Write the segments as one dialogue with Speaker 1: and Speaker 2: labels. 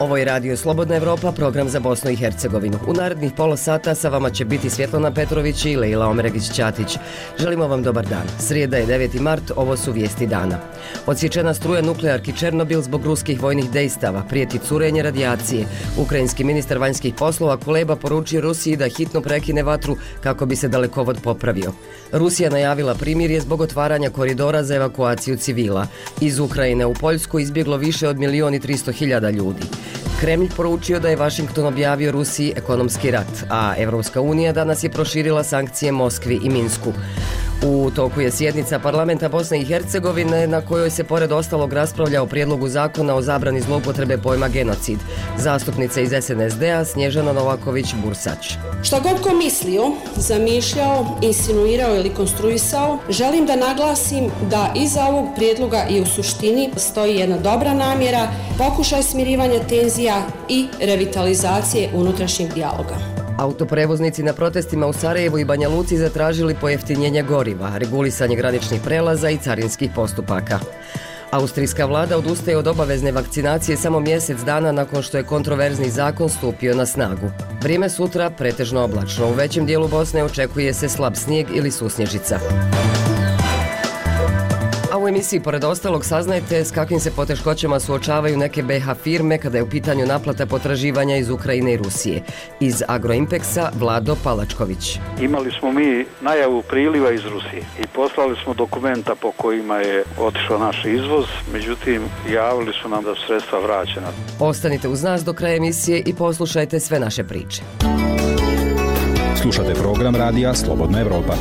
Speaker 1: Ovo je Radio Slobodna Evropa, program za Bosnu i Hercegovinu. U narednih pola sata sa vama će biti Svjetlana Petrović i Lejla Omeregić-Ćatić. Želimo vam dobar dan. Srijeda je 9. mart, ovo su vijesti dana. Odsječena struja nuklearki Černobil zbog ruskih vojnih dejstava, prijeti curenje radijacije. Ukrajinski ministar vanjskih poslova Kuleba poručio Rusiji da hitno prekine vatru kako bi se dalekovod popravio. Rusija najavila primirje zbog otvaranja koridora za evakuaciju civila. Iz Ukrajine u Poljsku izbjeglo više od 1.300.000 ljudi. Kremlj poručio da je Vašington objavio Rusiji ekonomski rat, a Evropska unija danas je proširila sankcije Moskvi i Minsku. U toku je sjednica parlamenta Bosne i Hercegovine na kojoj se pored ostalog raspravlja o prijedlogu zakona o zabrani zloupotrebe pojma genocid. Zastupnica iz SNSD-a Snježana Novaković-Bursać.
Speaker 2: Šta god ko mislio, zamišljao, insinuirao ili konstruisao, želim da naglasim da iza ovog prijedloga i u suštini stoji jedna dobra namjera, pokušaj smirivanja tenzija i revitalizacije unutrašnjeg dijaloga.
Speaker 1: Autoprevoznici na protestima u Sarajevu i Banja Luci zatražili pojeftinjenje goriva, regulisanje graničnih prelaza i carinskih postupaka. Austrijska vlada odustaje od obavezne vakcinacije samo mjesec dana nakon što je kontroverzni zakon stupio na snagu. Vrijeme sutra pretežno oblačno. U većem dijelu Bosne očekuje se slab snijeg ili susnježica. A u emisiji pored ostalog saznajte s kakvim se poteškoćama suočavaju neke BiH firme kada je u pitanju naplata potraživanja iz Ukrajine i Rusije. Iz Agroimpexa Vlado Palačković.
Speaker 3: Imali smo mi najavu priliva iz Rusije i poslali smo dokumenta po kojima je otišao naš izvoz, međutim javili su nam da su sredstva vraćena.
Speaker 1: Ostanite uz nas do kraja emisije i poslušajte sve naše priče.
Speaker 4: Slušate program radija Slobodna Evropa.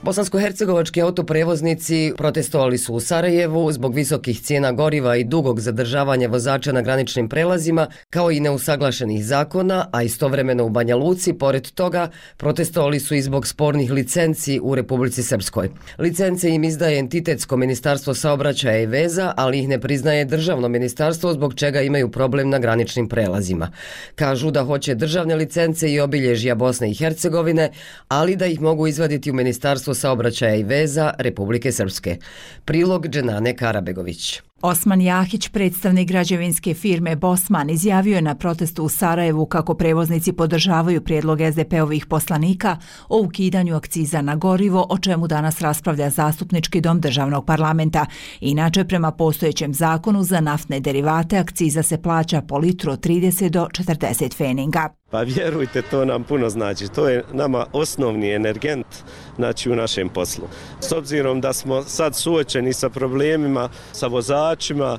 Speaker 1: Bosansko-hercegovački autoprevoznici protestovali su u Sarajevu zbog visokih cijena goriva i dugog zadržavanja vozača na graničnim prelazima, kao i neusaglašenih zakona, a istovremeno u Banja Luci, pored toga, protestovali su i zbog spornih licenci u Republici Srpskoj. Licence im izdaje entitetsko ministarstvo saobraćaja i veza, ali ih ne priznaje državno ministarstvo, zbog čega imaju problem na graničnim prelazima. Kažu da hoće državne licence i obilježja Bosne i Hercegovine, ali da ih mogu izvaditi u ministarstvo saobraćaja i veza Republike Srpske. Prilog Dženane Karabegović.
Speaker 5: Osman Jahić, predstavnik građevinske firme Bosman, izjavio je na protestu u Sarajevu kako prevoznici podržavaju prijedlog SDP-ovih poslanika o ukidanju akciza na gorivo, o čemu danas raspravlja Zastupnički dom državnog parlamenta. Inače, prema postojećem zakonu za naftne derivate akciza se plaća po litru od 30 do 40 feninga.
Speaker 6: Pa vjerujte, to nam puno znači. To je nama osnovni energent u našem poslu. S obzirom da smo sad suočeni sa problemima, sa vozačima,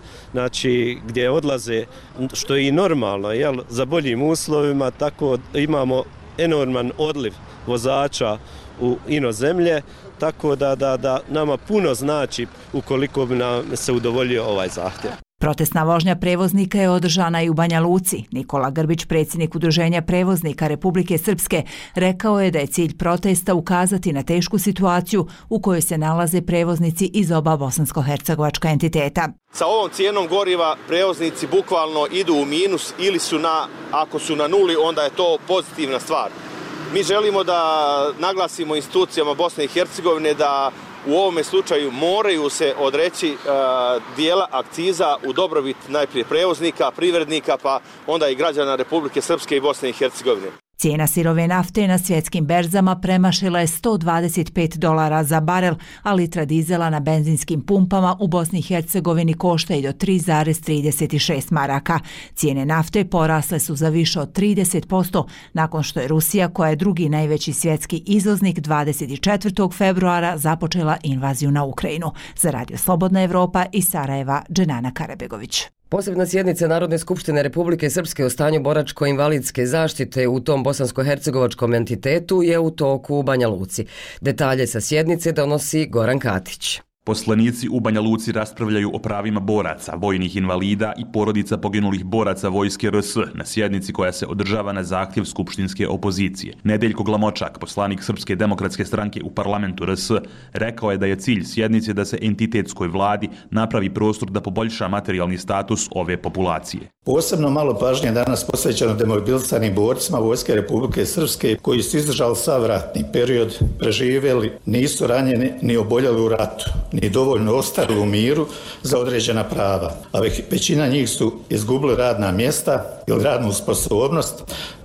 Speaker 6: gdje odlaze, što je i normalno, za boljim uslovima, tako imamo enorman odliv vozača u inozemlje, tako da nama puno znači ukoliko bi nam se udovoljio ovaj zahtjev.
Speaker 5: Protestna vožnja prevoznika je održana i u Banja Luci. Nikola Grbić, predsjednik Udruženja prevoznika Republike Srpske, rekao je da je cilj protesta ukazati na tešku situaciju u kojoj se nalaze prevoznici iz oba bosansko-hercegovačka entiteta.
Speaker 7: Sa ovom cijenom goriva prevoznici bukvalno idu u minus ili su ako su na nuli, onda je to pozitivna stvar. Mi želimo da naglasimo institucijama Bosne i Hercegovine da u ovome slučaju moraju se odreći dijela akciza u dobrobit najprije prevoznika, privrednika, pa onda i građana Republike Srpske i Bosne i Hercegovine.
Speaker 5: Cijena sirove nafte na svjetskim berzama premašila je $125 za barel, a litra dizela na benzinskim pumpama u Bosni i Hercegovini košta i do 3,36 maraka. Cijene nafte porasle su za više od 30% nakon što je Rusija, koja je drugi najveći svjetski izvoznik, 24. februara započela invaziju na Ukrajinu. Za Radio Slobodna Evropa iz Sarajeva, Dženana Karabegović.
Speaker 1: Posebna sjednica Narodne skupštine Republike Srpske o stanju boračko-invalidske zaštite u tom bosansko-hercegovačkom entitetu je u toku u Banja Luci. Detalje sa sjednice donosi Goran Katić.
Speaker 8: Poslanici u Banja Luci raspravljaju o pravima boraca, vojnih invalida i porodica poginulih boraca vojske RS na sjednici koja se održava na zahtjev skupštinske opozicije. Nedeljko Glamočak, poslanik Srpske demokratske stranke u parlamentu RS, rekao je da je cilj sjednice da se entitetskoj vladi napravi prostor da poboljša materijalni status ove populacije.
Speaker 9: Posebno malo pažnje danas posvećeno demobilisanim borcima vojske Republike Srpske koji su izdržali sav ratni period, preživjeli, nisu ranjeni ni oboljeli u ratu, ni dovoljno ostali u miru za određena prava, a većina njih su izgubili radna mjesta ili radnu sposobnost.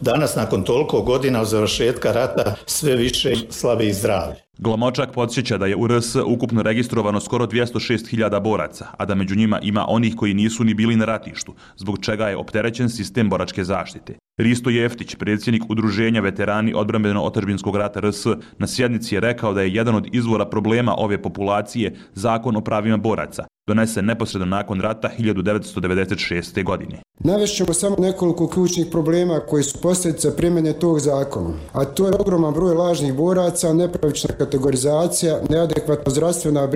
Speaker 9: Danas, nakon toliko godina od završetka rata, sve više slabi zdravlje.
Speaker 8: Glamočak podsjeća da je u RS ukupno registrovano skoro 206.000 boraca, a da među njima ima onih koji nisu ni bili na ratištu, zbog čega je opterećen sistem boračke zaštite. Risto Jeftić, predsjednik Udruženja veterani odbrambeno-otadžbinskog rata RS, na sjednici je rekao da je jedan od izvora problema ove populacije Zakon o pravima boraca, donesen neposredno nakon rata 1996. godine.
Speaker 10: Navešćemo samo nekoliko ključnih problema koji su posljedica primjene tog zakona, a to je ogroman broj lažnih boraca, nepravična kategorizacija, neadekvatna zdravstvena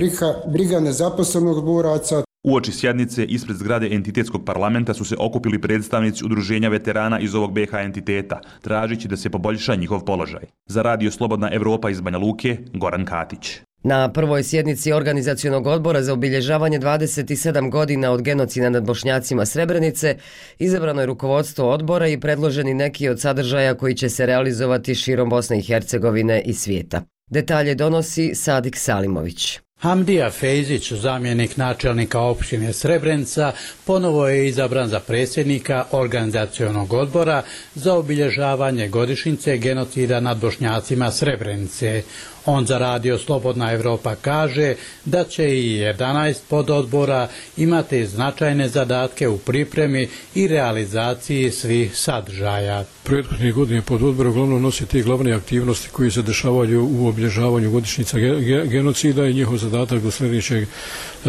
Speaker 10: briga nezaposlenog boraca.
Speaker 8: Uoči sjednice ispred zgrade entitetskog parlamenta su se okupili predstavnici Udruženja veterana iz ovog BiH entiteta, tražići da se poboljša njihov položaj. Za Radio Slobodna Evropa iz Banja Luke, Goran Katić.
Speaker 1: Na prvoj sjednici Organizacionog odbora za obilježavanje 27 godina od genocida nad Bošnjacima Srebrenice izabrano je rukovodstvo odbora i predloženi neki od sadržaja koji će se realizovati širom Bosne i Hercegovine i svijeta. Detalje donosi Sadik Salimović.
Speaker 11: Hamdija Fejzić, zamjenik načelnika opštine Srebrenica, ponovo je izabran za predsjednika Organizacionog odbora za obilježavanje godišnjice genocida nad Bošnjacima Srebrenice. On za Radio Slobodna Evropa kaže da će i 11 pododbora imati značajne zadatke u pripremi i realizaciji svih sadržaja.
Speaker 12: Prethodnih godina pododbor uglavnom nosi te glavne aktivnosti koje se dešavaju u obilježavanju godišnjica genocida i njihov zadatak do sljedećeg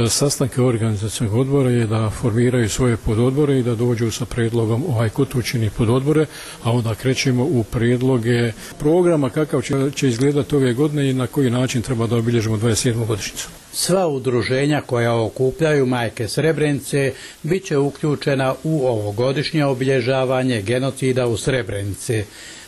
Speaker 12: sastanka Organizacionog odbora je da formiraju svoje pododbore i da dođu sa predlogom ko to čini pododbore, a onda krećemo u predloge programa kakav će izgledati ove godine i na koji način treba da obilježimo 27. godišnjicu.
Speaker 11: Sva udruženja koja okupljaju majke Srebrenice bit će uključena u ovogodišnje obilježavanje genocida u Srebrenici.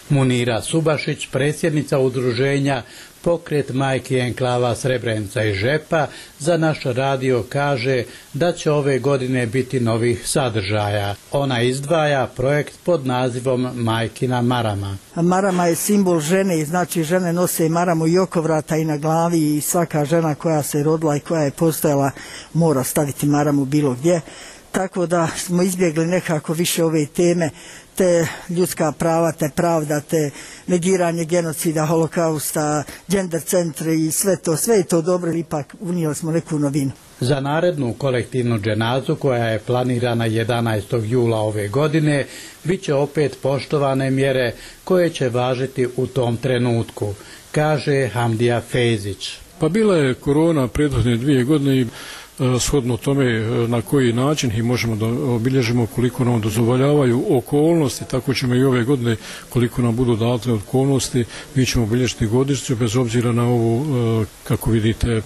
Speaker 11: Munira Subašić, predsjednica udruženja Pokret majki enklava Srebrenica i Žepa, za naš radio kaže da će ove godine biti novih sadržaja. Ona izdvaja projekt pod nazivom Majkina marama.
Speaker 13: Marama je simbol žene i znači žene nose maramu i oko vrata i na glavi i svaka žena koja se rodila i koja je postojala mora staviti maramu bilo gdje. Tako da smo izbjegli nekako više ove teme, te ljudska prava, te pravda, te negiranje genocida, holokausta, gender centre i sve je to dobro, ipak unijeli smo neku novinu.
Speaker 11: Za narednu kolektivnu dženazu koja je planirana 11. jula ove godine bit će opet poštovane mjere koje će važiti u tom trenutku, kaže Hamdija Fejzić.
Speaker 12: Pa bila je korona prethodne 2 godine i shodno tome na koji način i možemo da obilježimo koliko nam dozvoljavaju okolnosti, tako ćemo i ove godine koliko nam budu date okolnosti, mi ćemo obilježiti godišnjicu bez obzira na ovu, kako vidite,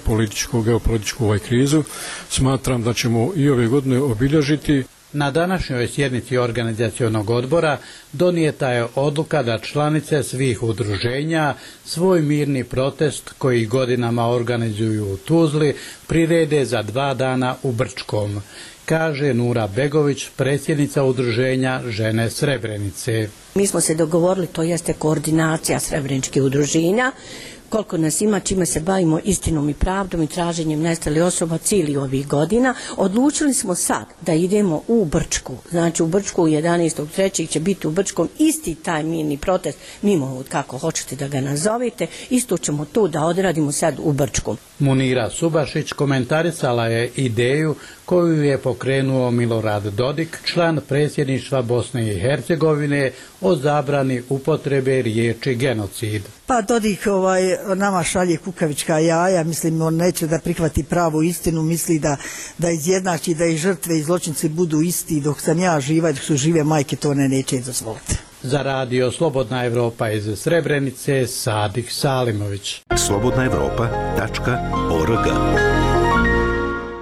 Speaker 12: geopolitičku krizu. Smatram da ćemo i ove godine obilježiti.
Speaker 11: Na današnjoj sjednici Organizacionog odbora donijeta je odluka da članice svih udruženja svoj mirni protest koji godinama organizuju u Tuzli prirede za 2 dana u Brčkom, kaže Nura Begović, predsjednica udruženja Žene Srebrenice.
Speaker 14: Mi smo se dogovorili, to jeste koordinacija srebreničkih udruženja, koliko nas ima, čime se bavimo istinom i pravdom i traženjem nestalih osoba cijeli ovih godina. Odlučili smo sad da idemo u Brčku. Znači u Brčku 11.3. će biti u Brčkom isti taj mirni protest, mimo kako hoćete da ga nazovete, isto ćemo to da odradimo sad u Brčku.
Speaker 11: Munira Subašić komentarisala je ideju koju je pokrenuo Milorad Dodik, član predsjedništva Bosne i Hercegovine, o zabrani upotrebe riječi genocid.
Speaker 13: Pa Dodik nama šalje kukavička jaja, mislim on neće da prihvati pravu istinu, misli da izjednači da i žrtve i zločinci budu isti, dok sam ja živa i dok su žive majke to neće dozvoliti.
Speaker 11: Za Radio Slobodna Evropa iz Srebrenice, Sadik Salimović.
Speaker 15: slobodnaevropa.org.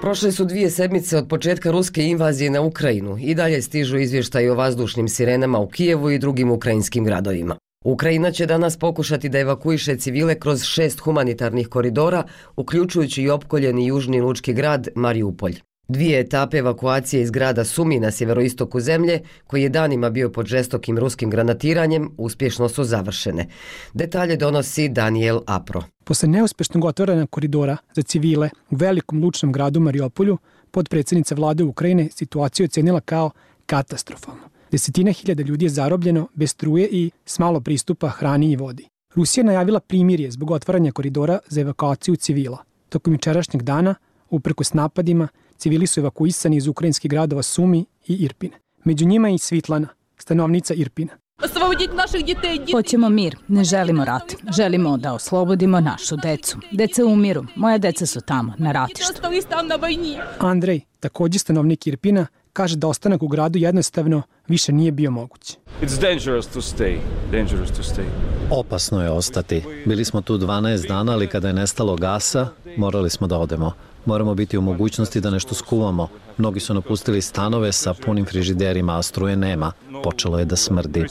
Speaker 1: Prošle su 2 sedmice od početka ruske invazije na Ukrajinu i dalje stižu izvještaji o vazdušnim sirenama u Kijevu i drugim ukrajinskim gradovima. Ukrajina će danas pokušati da evakuiše civile kroz 6 humanitarnih koridora, uključujući i opkoljeni južni lučki grad Mariupolj. 2 etape evakuacije iz grada Sumi na sjeveroistoku zemlje, koji je danima bio pod žestokim ruskim granatiranjem, uspješno su završene. Detalje donosi Daniel Apro.
Speaker 15: Posle neuspješnog otvaranja koridora za civile u velikom lučnom gradu Mariupolju, potpredsjednica vlade Ukrajine situaciju ocenila kao katastrofalno. Desetine hiljada ljudi je zarobljeno bez struje i s malo pristupa hrani i vodi. Rusija je najavila primirje zbog otvaranja koridora za evakuaciju civila. Tokom jučerašnjeg dana, uprkos napadima, civili su evakuisani iz ukrajinskih gradova Sumi i Irpine. Među njima je i Svitlana, stanovnica Irpina.
Speaker 16: Hoćemo mir, ne želimo rat. Želimo da oslobodimo našu decu. Deca umiru, moja deca su tamo, na ratištu.
Speaker 15: Andrej, također stanovnik Irpina, kaže da ostanak u gradu jednostavno više nije bio moguć.
Speaker 17: Opasno je ostati. Bili smo tu 12 dana, ali kada je nestalo gasa, morali smo da odemo. Moramo biti u mogućnosti da nešto skuvamo. Mnogi su napustili stanove sa punim frižiderima, a struje nema. Počelo je da smrdi.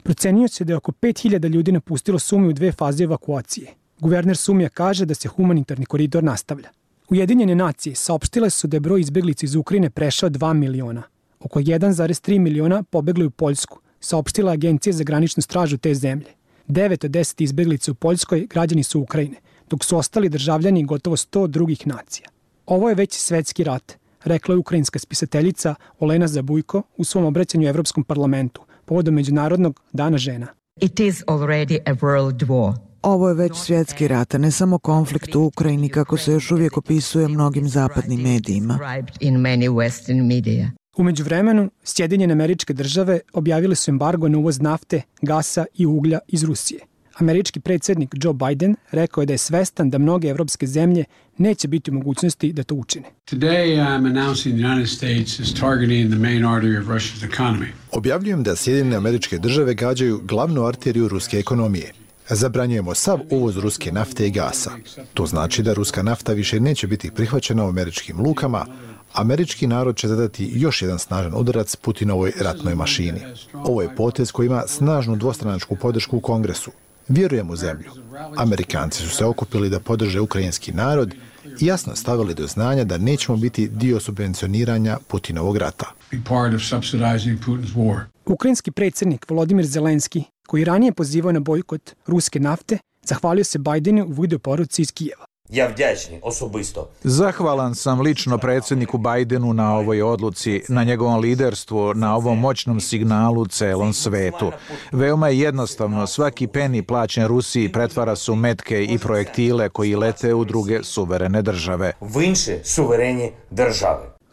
Speaker 15: Procenjuje se da je oko 5000 ljudi napustilo Sumi u 2 faze evakuacije. Guverner Sumija kaže da se humanitarni koridor nastavlja. Ujedinjene nacije saopštile su da je broj izbeglica iz Ukrajine prešao 2 miliona. Oko 1,3 miliona pobegli u Poljsku, saopštila Agencija za graničnu stražu te zemlje. 9 od 10 izbeglica u Poljskoj građani su Ukrajine, dok su ostali državljani gotovo 100 drugih nacija. Ovo je već svetski rat, rekla je ukrajinska spisateljica Olena Zabujko u svom obraćanju Evropskom parlamentu povodom Međunarodnog dana žena.
Speaker 18: It is already a world war. Ovo je već svjetski rat, a ne samo konflikt u Ukrajini, kako se još uvijek opisuje mnogim zapadnim medijima.
Speaker 15: U međuvremenu, Sjedinjene Američke Države objavile su embargo na uvoz nafte, gasa i uglja iz Rusije. Američki predsjednik Joe Biden rekao je da je svestan da mnoge evropske zemlje neće biti u mogućnosti da to učine.
Speaker 19: Objavljujem da Sjedinjene Američke Države gađaju glavnu arteriju ruske ekonomije. Zabranjujemo sav uvoz ruske nafte i gasa. To znači da ruska nafta više neće biti prihvaćena u američkim lukama. Američki narod će zadati još jedan snažan udarac Putinovoj ratnoj mašini. Ovo je potez koji ima snažnu dvostranačku podršku u Kongresu. Vjerujem u zemlju. Amerikanci su se okupili da podrže ukrajinski narod i jasno stavili do znanja da nećemo biti dio subvencioniranja Putinovog rata.
Speaker 15: Ukrajinski predsjednik Volodimir Zelenski, koji ranije pozivao na bojkot ruske nafte, zahvalio se Bidenu u videoporuci iz Kijeva.
Speaker 20: Zahvalan sam lično predsjedniku Bidenu na ovoj odluci, na njegovom liderstvu, na ovom moćnom signalu celom svetu. Veoma je jednostavno, svaki peni plaćen Rusiji pretvara se u metke i projektile koji lete u druge suverene države.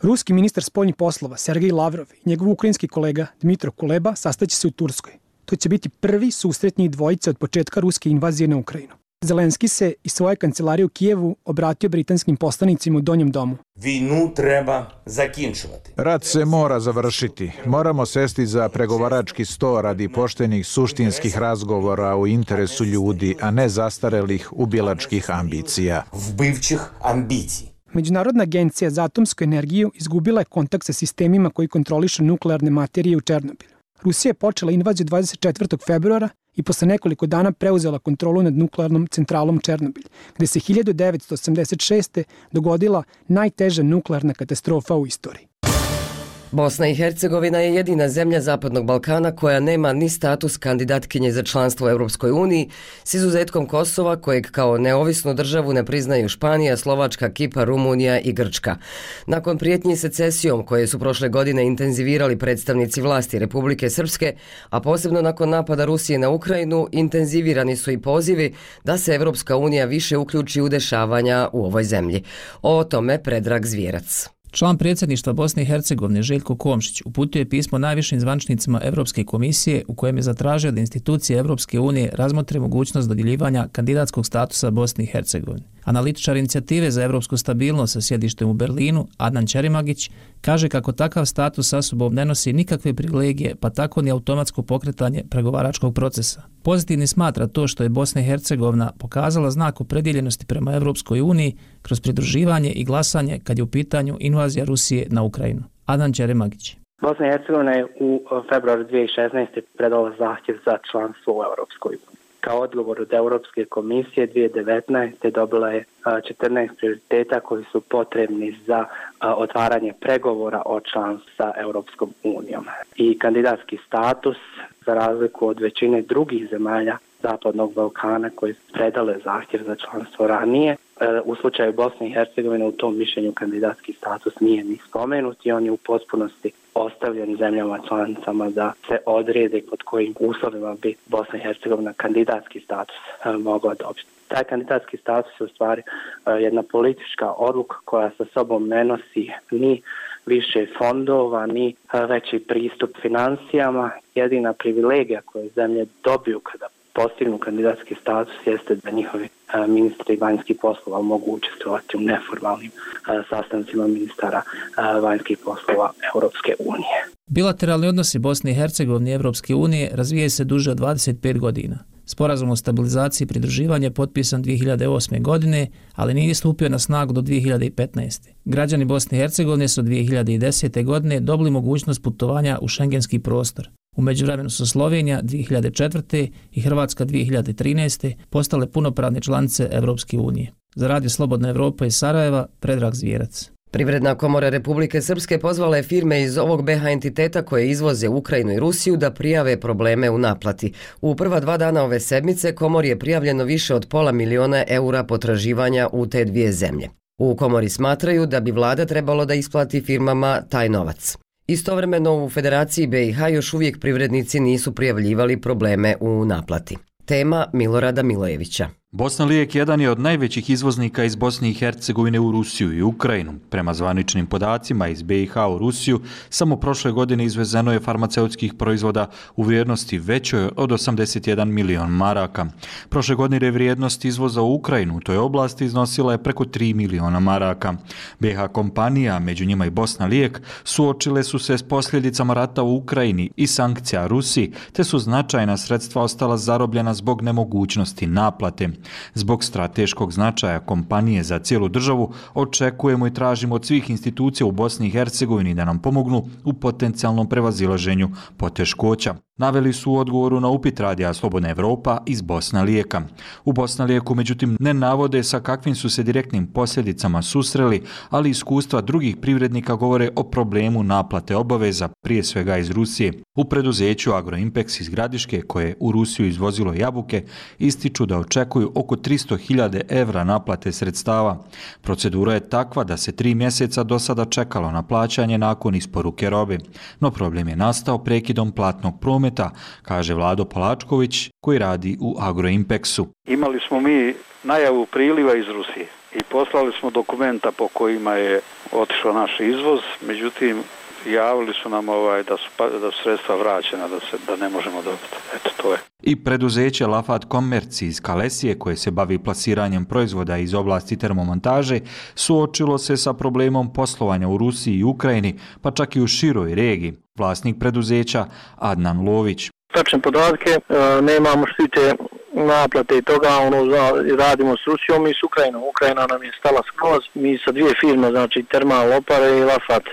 Speaker 15: Ruski ministar spoljnih poslova Sergej Lavrov i njegov ukrajinski kolega Dmitro Kuleba sastaće se u Turskoj. To će biti prvi susret njih dvojice od početka ruske invazije na Ukrajinu. Zelenski se iz svoje kancelarije u Kijevu obratio britanskim poslanicima u Donjem domu.
Speaker 20: Vojnu treba zakinčuvati. Rat se mora završiti. Moramo sesti za pregovarački sto radi poštenih suštinskih razgovora u interesu ljudi, a ne zastarelih ubilačkih ambicija. Vbivčih ambicija.
Speaker 15: Međunarodna agencija za atomsku energiju izgubila je kontakt sa sistemima koji kontrolišu nuklearne materije u Černobilu. Rusija je počela invaziju 24. februara i posle nekoliko dana preuzela kontrolu nad nuklearnom centralom Černobil, gde se 1986. dogodila najteža nuklearna katastrofa u istoriji.
Speaker 1: Bosna i Hercegovina je jedina zemlja Zapadnog Balkana koja nema ni status kandidatkinje za članstvo u Europskoj uniji, s izuzetkom Kosova, kojeg kao neovisnu državu ne priznaju Španija, Slovačka, Kipar, Rumunija i Grčka. Nakon prijetnji secesijom koje su prošle godine intenzivirali predstavnici vlasti Republike Srpske, a posebno nakon napada Rusije na Ukrajinu, intenzivirani su i pozivi da se Europska unija više uključi u dešavanja u ovoj zemlji. O tome Predrag Zvijerac.
Speaker 21: Član predsjedništva Bosne i Hercegovine Željko Komšić uputio je pismo najvišim zvaničnicima Europske komisije u kojem je zatražio da institucije Europske unije razmotre mogućnost dodjeljivanja kandidatskog statusa Bosni i Hercegovini. Analitičar inicijative za europsku stabilnost sa sjedištem u Berlinu, Adnan Čerimagić, kaže kako takav status sa sobom ne nosi nikakve privilegije, pa tako ni automatsko pokretanje pregovaračkog procesa. Pozitivni smatra to što je Bosna i Hercegovina pokazala znak opredjeljenosti prema Europskoj uniji kroz pridruživanje i glasanje kad je u pitanju invazija Rusije na Ukrajinu. Adnan Čerimagić.
Speaker 22: Bosna i Hercegovina je u februaru 2016. predala zahtjev za članstvo u Europskoj uniji.
Speaker 2: Kao odgovor od Europske komisije 2019. dobila je 14 prioriteta koji su potrebni za otvaranje pregovora o članstvu sa Europskom unijom. I kandidatski status, za razliku od većine drugih zemalja Zapadnog Balkana koji su predale zahtjev za članstvo ranije, u slučaju Bosne i Hercegovine u tom mišljenju kandidatski status nije ni spomenut i on je u potpunosti ostavljen zemljama članicama da se odrede pod kojim uslovima bi Bosna i Hercegovina kandidatski status mogla dobiti. Taj kandidatski status je u stvari jedna politička odluka koja sa sobom ne nosi ni više fondova, ni veći pristup financijama. Jedina privilegija koju zemlje dobiju kada postignu kandidatski status jeste da njihovi ministri vanjskih poslova mogu učestvovati u neformalnim sastancima ministara vanjskih poslova Europske unije.
Speaker 21: Bilateralni odnosi Bosne i Hercegovine i Europske unije razvijaju se duže od 25 godina. Sporazum o stabilizaciji i pridruživanju je potpisan 2008. godine, ali nije stupio na snagu do 2015. Građani Bosne i Hercegovine su 2010. godine dobili mogućnost putovanja u šengenski prostor. U međuvremenu su Slovenija 2004. i Hrvatska 2013. postale punopravne članice Europske unije. Za Radio Slobodna Evropa iz Sarajeva, Predrag Zvijerac.
Speaker 1: Privredna komora Republike Srpske pozvala je firme iz ovog BH entiteta koje izvoze Ukrajinu i Rusiju da prijave probleme u naplati. U prva 2 dana ove sedmice komori je prijavljeno više od €500.000 potraživanja u te dvije zemlje. U komori smatraju da bi vlada trebalo da isplati firmama taj novac. Istovremeno u Federaciji BiH još uvijek privrednici nisu prijavljivali probleme u naplati. Tema Milorada Milojevića.
Speaker 22: Bosna Lijek jedan je od najvećih izvoznika iz Bosne i Hercegovine u Rusiju i Ukrajinu. Prema zvaničnim podacima iz BiH u Rusiju, samo prošle godine izvezeno je farmaceutskih proizvoda u vrijednosti većoj od 81 milion maraka. Prošle godine vrijednost izvoza u Ukrajinu u toj oblasti iznosila je preko 3 miliona maraka. BiH kompanija, među njima i Bosna Lijek, suočile su se s posljedicama rata u Ukrajini i sankcija Rusiji, te su značajna sredstva ostala zarobljena zbog nemogućnosti naplate. Zbog strateškog značaja kompanije za cijelu državu očekujemo i tražimo od svih institucija u Bosni i Hercegovini da nam pomognu u potencijalnom prevazilaženju poteškoća. Naveli su u odgovoru na upit Radija Slobodna Evropa iz Bosna Lijeka. U Bosna Lijeku, međutim, ne navode sa kakvim su se direktnim posljedicama susreli, ali iskustva drugih privrednika govore o problemu naplate obaveza, prije svega iz Rusije. U preduzeću Agroimpex iz Gradiške, koje je u Rusiju izvozilo jabuke, ističu da očekuju oko 300.000 evra naplate sredstava. Procedura je takva da se 3 mjeseca do sada čekalo na plaćanje nakon isporuke robe. No problem je nastao prekidom platnog prometa, kaže Vlado Palačković koji radi u Agroimpexu.
Speaker 3: Imali smo mi najavu priliva iz Rusije i poslali smo dokumenta po kojima je otišao naš izvoz, međutim javili su nam da su sredstva vraćena, da ne možemo dobiti. Eto, to je.
Speaker 22: I preduzeće Lafat Commerce iz Kalesije, koje se bavi plasiranjem proizvoda iz oblasti termomontaže, suočilo se sa problemom poslovanja u Rusiji i Ukrajini, pa čak i u široj regiji. Vlasnik preduzeća Adnan Lović.
Speaker 23: Tačne podatke, nemamo štite naplate i toga, radimo s Rusijom i s Ukrajinom. Ukrajina nam je stala skroz, mi sa 2 firme, znači Termal Opare i Lafat,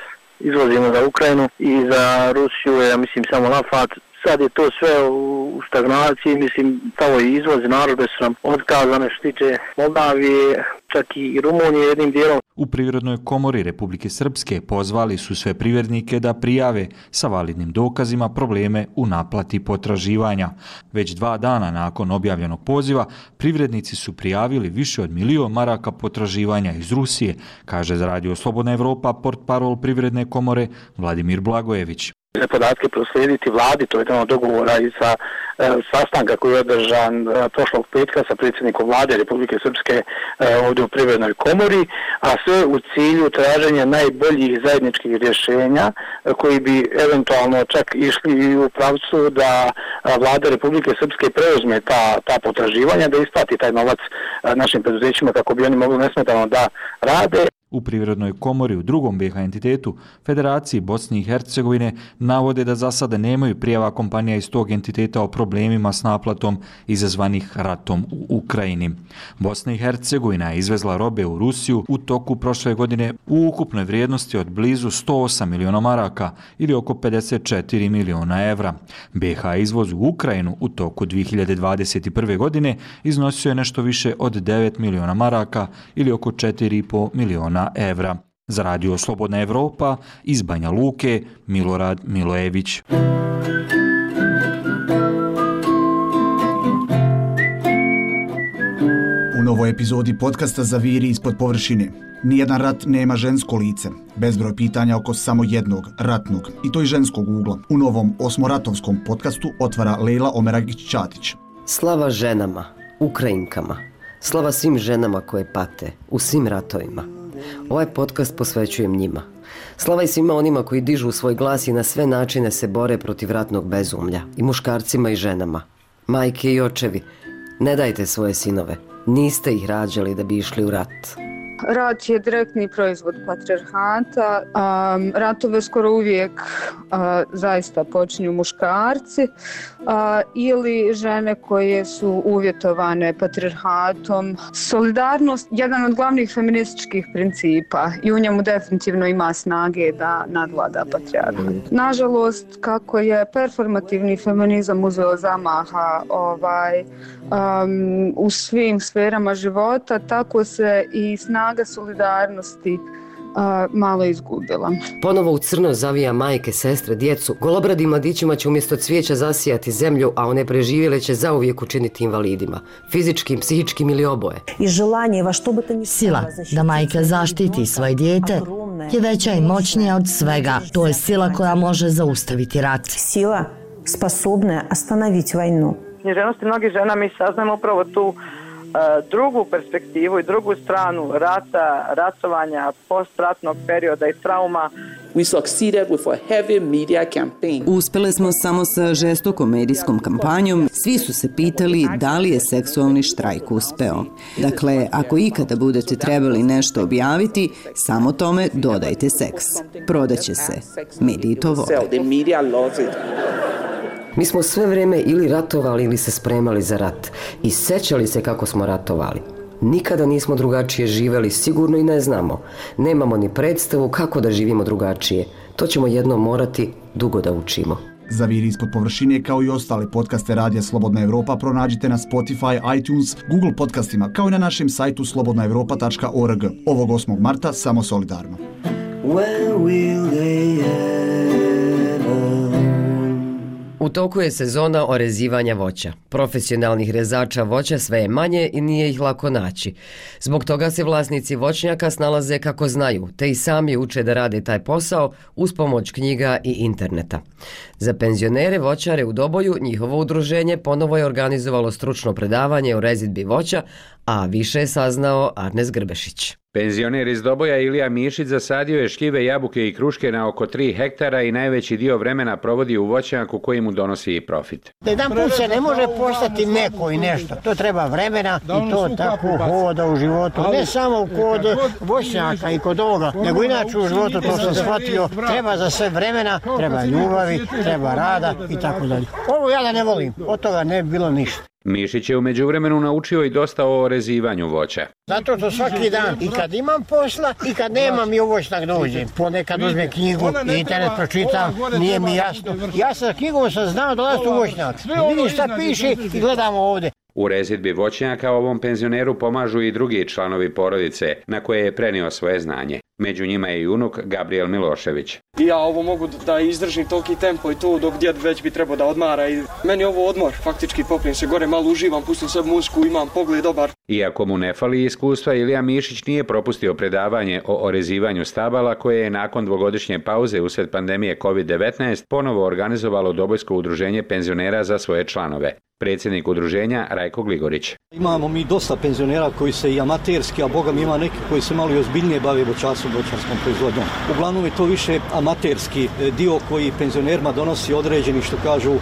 Speaker 23: izvozimo za Ukrajinu i za Rusiju, ja mislim samo Lafat. Sad je to sve u stagnaciji, mislim, kao i izvoz, narode su nam otkazane što tiče Moldavije, čak i Rumunije jednim dijelom.
Speaker 22: U Privrednoj komori Republike Srpske pozvali su sve privrednike da prijave sa validnim dokazima probleme u naplati potraživanja. Već 2 dana nakon objavljenog poziva, privrednici su prijavili više od 1 milion maraka potraživanja iz Rusije, kaže za Radio Slobodna Evropa portparol Privredne komore Vladimir Blagojević.
Speaker 23: Podatke proslijediti vladi, to je jedan od dogovora i sa sastanka koji je održan prošlog petka sa predsjednikom vlade Republike Srpske ovdje u Privrednoj komori, a sve u cilju traženja najboljih zajedničkih rješenja koji bi eventualno čak išli u pravcu da vlada Republike Srpske preuzme ta potraživanja, da isplati taj novac našim preduzećima kako bi oni mogli nesmetano da rade.
Speaker 22: U Privrednoj komori u drugom BiH entitetu, Federaciji Bosne i Hercegovine, navode da za sada nemaju prijava kompanija iz tog entiteta o problemima s naplatom izazvanih ratom u Ukrajini. Bosna i Hercegovina je izvezla robe u Rusiju u toku prošle godine u ukupnoj vrijednosti od blizu 108 miliona maraka ili oko 54 miliona evra. BiH izvoz u Ukrajinu u toku 2021. godine iznosio je nešto više od 9 miliona maraka ili oko 4,5 miliona evra. Za Radio Slobodna Evropa iz Banja Luke, Milorad Milojević.
Speaker 4: U novoj epizodi podcasta Zaviri ispod površine. Nijedan rat nema žensko lice. Bezbroj pitanja oko samo jednog, ratnog, i to i ženskog ugla. U novom osmoratovskom podcastu otvara Lejla Omeragić-Ćatić.
Speaker 1: Slava ženama, Ukrajinkama. Slava svim ženama koje pate u svim ratovima. Ovaj podcast posvećujem njima. Slava i svima onima koji dižu svoj glas i na sve načine se bore protiv ratnog bezumlja. I muškarcima i ženama. Majke i očevi, ne dajte svoje sinove. Niste ih rađali da bi išli u rat.
Speaker 6: Rat je direktni proizvod patrijarhata. Ratove skoro uvijek zaista počinju muškarci ili žene koje su uvjetovane patrijarhatom. Solidarnost je jedan od glavnih feminističkih principa i u njemu definitivno ima snage da nadvlada patrijarhat. Nažalost, kako je performativni feminizam uzeo zamaha u svim sferama života, tako se i snaga solidarnosti malo izgubila.
Speaker 1: Ponovo u crno zavija majke, sestre, djecu. Golobradim mladićima će umjesto cvijeća zasijati zemlju, a one preživjele će zauvijek učiniti invalidima. Fizičkim, psihičkim ili oboje.
Speaker 7: Sila da majka zaštiti svoje dijete je veća i moćnija od svega. To je sila koja može zaustaviti rat.
Speaker 24: Sila sposobna ostanoviti vojnu.
Speaker 23: Književnosti mnogih žena mi saznamo upravo tu drugu perspektivu i drugu stranu rata, ratovanja, postratnog perioda i trauma.
Speaker 25: Uspjeli smo samo sa žestokom medijskom kampanjom. Svi su se pitali da li je seksualni štrajk uspeo. Dakle, ako ikada budete trebali nešto objaviti, samo tome dodajte seks. Prodaće se. Mediji to vole.
Speaker 1: Mi smo sve vrijeme ili ratovali ili se spremali za rat i sećali se kako smo ratovali. Nikada nismo drugačije živjeli, sigurno i ne znamo. Nemamo ni predstavu kako da živimo drugačije. To ćemo jednom morati dugo da učimo.
Speaker 4: Zaviri ispod površine kao i ostale podcaste Radija Slobodna Evropa pronađite na Spotify, iTunes, Google podcastima kao i na našem sajtu slobodnaevropa.org. Ovog 8. marta samo solidarno.
Speaker 1: U toku je sezona orezivanja voća. Profesionalnih rezača voća sve je manje i nije ih lako naći. Zbog toga se vlasnici voćnjaka snalaze kako znaju, te i sami uče da rade taj posao uz pomoć knjiga i interneta. Za penzionere voćare u Doboju njihovo udruženje ponovo je organizovalo stručno predavanje o rezidbi voća, a više je saznao Arnes Grbešić.
Speaker 26: Penzioner iz Doboja Ilija Mišić zasadio je šljive, jabuke i kruške na oko 3 hektara i najveći dio vremena provodi u voćnjaku koji mu donosi i profit.
Speaker 27: Jedan put se ne može postati neko i nešto. To treba vremena i to tako hoda u životu. Ne samo kod voćnjaka i kod ovoga, nego inače u životu, to sam shvatio, treba za sve vremena, treba ljubavi, treba rada i tako dalje. Ovo ja da ne volim, od toga ne bi bilo ništa.
Speaker 26: Mišić je u međuvremenu naučio i dosta o orezivanju voća.
Speaker 27: Zato što svaki dan, i kad imam posla, i kad nemam i u voćnjak dođem. Ponekad uzmem knjigu, internet pročitam, nije mi jasno. Ja sa knjigom sam znao dolaziti u voćnjak. Vidim šta piše i gledamo ovdje.
Speaker 26: U rezidbi voćnjaka ovom penzioneru pomažu i drugi članovi porodice na koje je prenio svoje znanje. Među njima je i unuk Gabriel Milošević.
Speaker 28: Ja ovo mogu da izdržim toliki tempo i to dok djed već bi trebao da odmara. I meni je ovo odmor, faktički popijem se gore, malo uživam, pustim sve muziku, imam pogled dobar.
Speaker 26: Iako mu ne fali iskustva, Ilija Mišić nije propustio predavanje o orezivanju stabala koje je nakon dvogodišnje pauze usred pandemije COVID-19 ponovo organizovalo Dobojsko udruženje penzionera za svoje članove. Predsjednik udruženja Rajko Gligorić.
Speaker 29: Imamo mi dosta penzionera koji se i amaterski, a boga mi ima neki koji se malo i ozbiljnije bave voćarstvom, voćarskom proizvodnjom. Uglavnom je to više amaterski dio koji penzionerima donosi određeni, što kažu,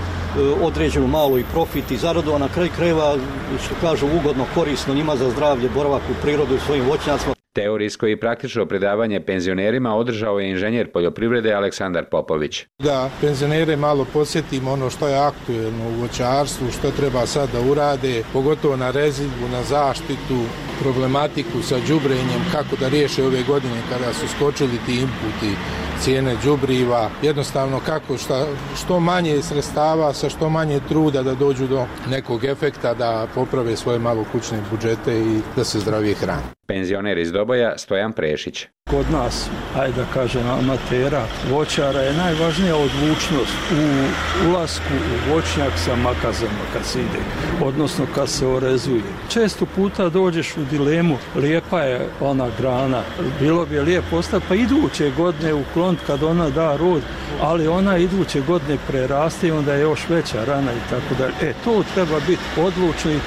Speaker 29: određenu malo i profit i zaradu, a na kraju krajeva, što kažu, ugodno, korisno njima za zdravlje, boravak u prirodu u svojim voćnjacima.
Speaker 26: Teorijsko i praktično predavanje penzionerima održao je inženjer poljoprivrede Aleksandar Popović.
Speaker 5: Da penzionere malo posjetimo ono što je aktuelno u voćarstvu, što treba sad da urade, pogotovo na rezidbu, na zaštitu, problematiku sa đubrenjem, kako da riješe ove godine kada su skočili ti inputi, cijene đubriva, jednostavno kako što manje sredstava sa što manje truda da dođu do nekog efekta, da poprave svoje malo kućne budžete i da se zdravije hrane.
Speaker 26: Penzioner iz Doboja Stojan Prešić.
Speaker 8: Kod nas, ajde da kažem, amatera, voćara je najvažnija odlučnost u ulasku u voćnjak sa makazama kad se ide, odnosno kad se orezuje. Često puta dođeš u dilemu, lijepa je ona grana, bilo bi je lijepo ostati, pa iduće godine ukloniti kad ona da rod, ali ona iduće godine preraste i onda je još veća rana i tako dalje. To treba biti odlučno i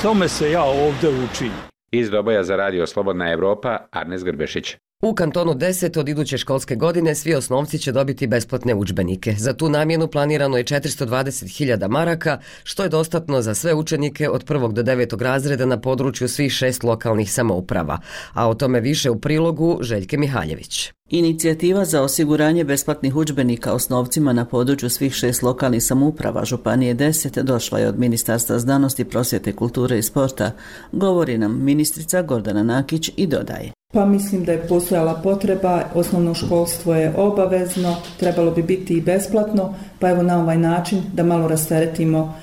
Speaker 8: tome se ja ovdje učim.
Speaker 26: Iz Doboja za radio Slobodna Evropa, Arnes Grbešić.
Speaker 1: U kantonu 10 od iduće školske godine svi osnovci će dobiti besplatne udžbenike. Za tu namjenu planirano je 420.000 maraka, što je dostatno za sve učenike od 1. do 9. razreda na području svih 6 lokalnih samouprava. A o tome više u prilogu Željke Mihaljević.
Speaker 25: Inicijativa za osiguranje besplatnih udžbenika osnovcima na području svih 6 lokalnih samouprava Županije 10 došla je od Ministarstva znanosti, prosvjete, kulture i sporta, govori nam ministrica Gordana Nakić i dodaje.
Speaker 9: Pa mislim da je postojala potreba, osnovno školstvo je obavezno, trebalo bi biti i besplatno, pa evo na ovaj način da malo rasteretimo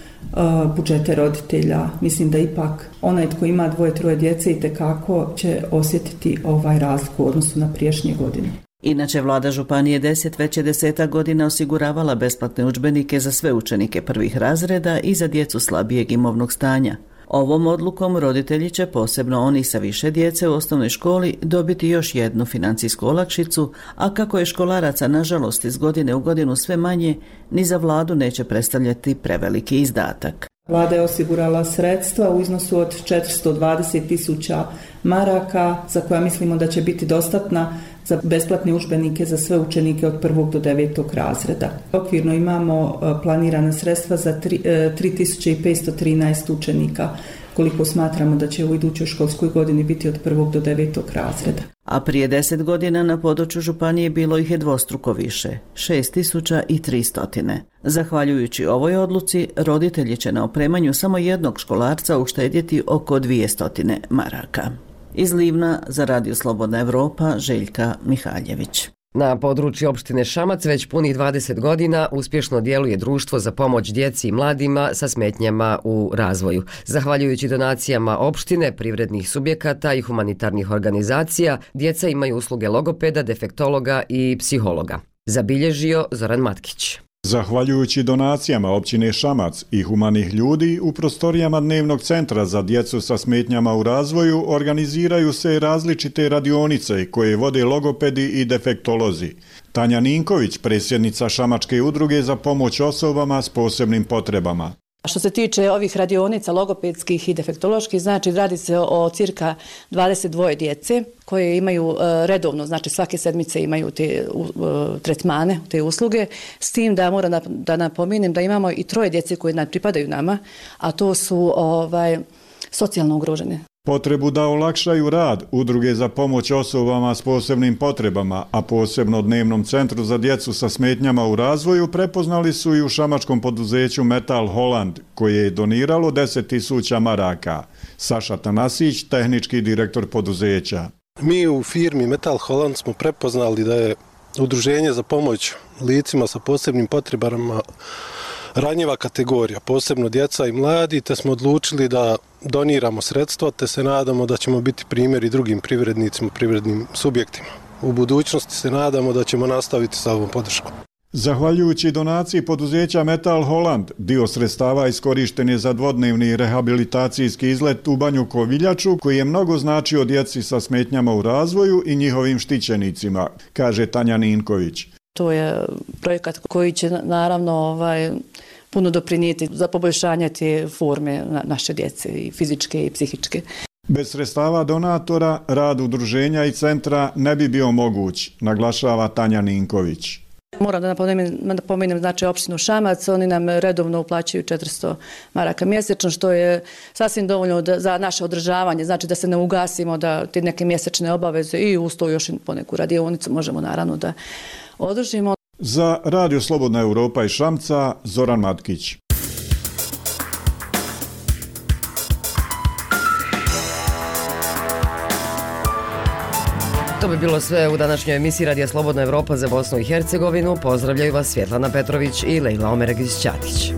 Speaker 9: budžete roditelja. Mislim da ipak onaj tko ima 2-3 djece itekako će osjetiti ovaj razliku u odnosu na prijašnje godine.
Speaker 25: Inače, vlada Županije 10 već je 10 godina osiguravala besplatne udžbenike za sve učenike prvih razreda i za djecu slabijeg imovnog stanja. Ovom odlukom roditelji će, posebno oni sa više djece u osnovnoj školi, dobiti još jednu financijsku olakšicu, a kako je školaraca nažalost iz godine u godinu sve manje, ni za vladu neće predstavljati preveliki izdatak.
Speaker 9: Vlada je osigurala sredstva u iznosu od 420.000 maraka, za koja mislimo da će biti dostatna za besplatne udžbenike za sve učenike od 1. do 9. razreda. Okvirno imamo planirana sredstva za 3.513 učenika, koliko smatramo da će u idućoj školskoj godini biti od 1. do 9. razreda.
Speaker 25: A prije 10 godina na području Županije bilo ih je dvostruko više, 6.300. Zahvaljujući ovoj odluci, roditelji će na opremanju samo jednog školarca uštedjeti oko 200 maraka. Iz Livna za radio Slobodna Evropa, Željka Mihaljević.
Speaker 1: Na području opštine Šamac već punih 20 godina uspješno djeluje društvo za pomoć djeci i mladima sa smetnjama u razvoju. Zahvaljujući donacijama opštine, privrednih subjekata i humanitarnih organizacija, djeca imaju usluge logopeda, defektologa i psihologa. Zabilježio Zoran Matkić.
Speaker 10: Zahvaljujući donacijama općine Šamac i humanih ljudi, u prostorijama dnevnog centra za djecu sa smetnjama u razvoju organiziraju se različite radionice koje vode logopedi i defektolozi. Tanja Ninković, predsjednica Šamačke udruge za pomoć osobama s posebnim potrebama.
Speaker 11: Što se tiče ovih radionica logopedskih i defektoloških, znači radi se o cirka 22 djece koje imaju redovno, znači svake sedmice imaju te tretmane, te usluge, s tim da moram da napomenem da imamo i 3 djece koje pripadaju nama, a to su socijalno ugrožene.
Speaker 10: Potrebu da olakšaju rad udruge za pomoć osobama s posebnim potrebama, a posebno dnevnom centru za djecu sa smetnjama u razvoju, prepoznali su i u šamačkom poduzeću Metal Holland, koje je doniralo 10.000 maraka. Saša Tanasić, tehnički direktor poduzeća.
Speaker 12: Mi u firmi Metal Holland smo prepoznali da je udruženje za pomoć licima sa posebnim potrebama ranjiva kategorija, posebno djeca i mladi, te smo odlučili da doniramo sredstva, te se nadamo da ćemo biti primjer i drugim privrednicima, privrednim subjektima. U budućnosti se nadamo da ćemo nastaviti sa ovom podrškom.
Speaker 10: Zahvaljujući donaciji poduzeća Metal Holland, dio sredstava iskorišten je za dvodnevni rehabilitacijski izlet u Banju Koviljaču, koji je mnogo značio djeci sa smetnjama u razvoju i njihovim štićenicima, kaže Tanja Ninković.
Speaker 11: To je projekat koji će naravno puno doprinijeti za poboljšanje te forme naše djece, i fizičke i psihičke.
Speaker 10: Bez sredstava donatora, rad udruženja i centra ne bi bio moguć, naglašava Tanja Ninković.
Speaker 11: Moram da napomenem znači opštinu Šamac, oni nam redovno uplaćuju 400 maraka mjesečno, što je sasvim dovoljno za naše održavanje, znači da se ne ugasimo, da te neke mjesečne obaveze i uz to još poneku radionicu možemo naravno da održimo.
Speaker 10: Za Radio Slobodna Europa iz Šamca, Zoran Matkić.
Speaker 1: To bi bilo sve u današnjoj emisiji Radija Slobodna Europa za Bosnu i Hercegovinu. Pozdravljaju vas Svjetlana Petrović i Lejla Omeregić-Ćatić.